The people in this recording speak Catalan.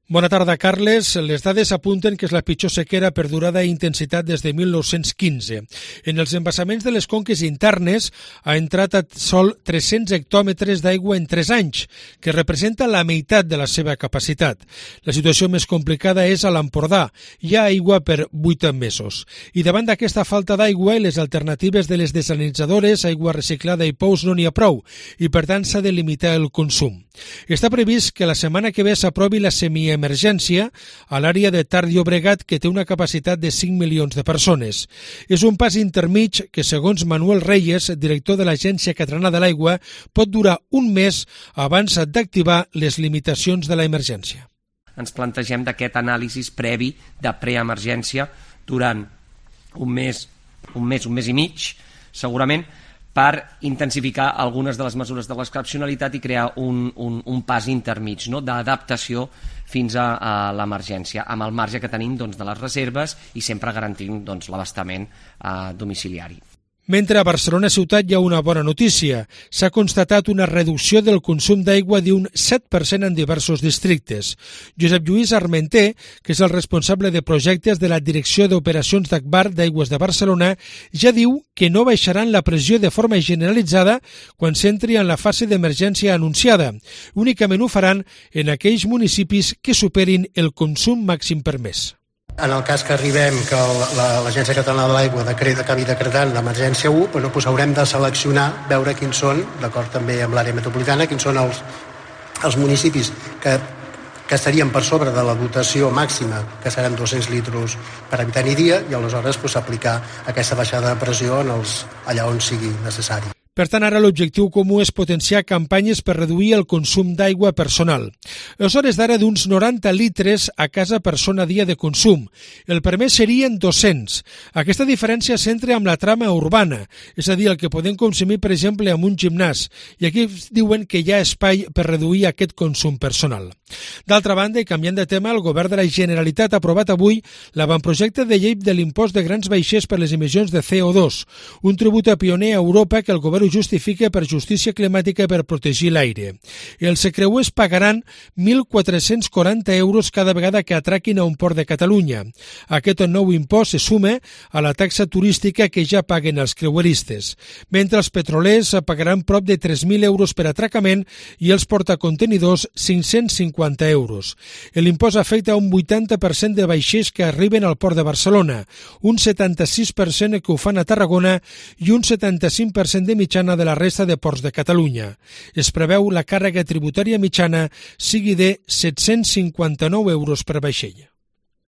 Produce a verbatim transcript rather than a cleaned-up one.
Bona tarda, Carles. Les dades apunten que és la pitjor sequera per durada i intensitat des de mil nou-cents quinze. En els embassaments de les conques internes ha entrat a sol tres-cents hectòmetres d'aigua en tres anys, que representa la meitat de la seva capacitat. La situació més complicada és a l'Empordà. Hi ha aigua per vuit mesos. I davant d'aquesta falta d'aigua i les alternatives de les desalinitzadores, aigua reciclada i pous no n'hi ha prou, i per tant s'ha de limitar el consum. Està previst que la setmana que ve s'aprovi la semiemergència a l'àrea de Ter Llobregat, que té una capacitat de cinc milions de persones. És un pas intermig que, segons Manuel Reyes, director de l'Agència Catalana de l'Aigua, pot durar un mes abans d'activar les limitacions de l'emergència. Ens plantegem d'aquest anàlisi previ de preemergència durant un mes, un mes, un mes i mig, segurament, per intensificar algunes de les mesures de l'excepcionalitat i crear un, un, un pas intermig, no?, d'adaptació fins a, a l'emergència, amb el marge que tenim, doncs, de les reserves i sempre garantint, doncs, l'abastament eh, domiciliari. Mentre a Barcelona ciutat hi ha una bona notícia. S'ha constatat una reducció del consum d'aigua d'un set per cent en diversos districtes. Josep Lluís Armenté, que és el responsable de projectes de la Direcció d'Operacions d'Agbar d'Aigües de Barcelona, ja diu que no baixaran la pressió de forma generalitzada quan s'entri en la fase d'emergència anunciada. Únicament ho faran en aquells municipis que superin el consum màxim permès. En el cas que arribem que l'Agència Catalana de l'Aigua acabi decretant l'emergència u, doncs haurem de seleccionar, veure quins són, d'acord també amb l'àrea metropolitana, quins són els, els municipis que, que estarien per sobre de la dotació màxima, que seran dos-cents litres per habitant i dia, i aleshores doncs, aplicar aquesta baixada de pressió en els, allà on sigui necessari. Per tant, ara l'objectiu comú és potenciar campanyes per reduir el consum d'aigua personal. És hores d'ara d'uns noranta litres a casa persona dia de consum. El permès serien dos-cents. Aquesta diferència s'entra amb la trama urbana, és a dir, el que podem consumir, per exemple, amb un gimnàs. I aquí diuen que hi ha espai per reduir aquest consum personal. D'altra banda, i canviant de tema, el Govern de la Generalitat ha aprovat avui l'avantprojecte de llei de l'impost de grans vaixells per les emissions de C O dos, un tribut pioner a Europa que el Govern ho justifica per justícia climàtica per protegir l'aire. Els creuers pagaran mil quatre-cents quaranta euros cada vegada que atraquin a un port de Catalunya. Aquest nou impost se suma a la taxa turística que ja paguen els creueristes, mentre els petrolers pagaran prop de tres mil euros per atracament i els portacontenidors cinc-cents cinquanta euros. L'impost afecta un vuitanta per cent de vaixells que arriben al port de Barcelona, un setanta-sis per cent que ho fan a Tarragona i un setanta-cinc per cent de mitjana de la resta de ports de Catalunya. Es preveu la càrrega tributària mitjana sigui de set-cents cinquanta-nou euros per vaixell.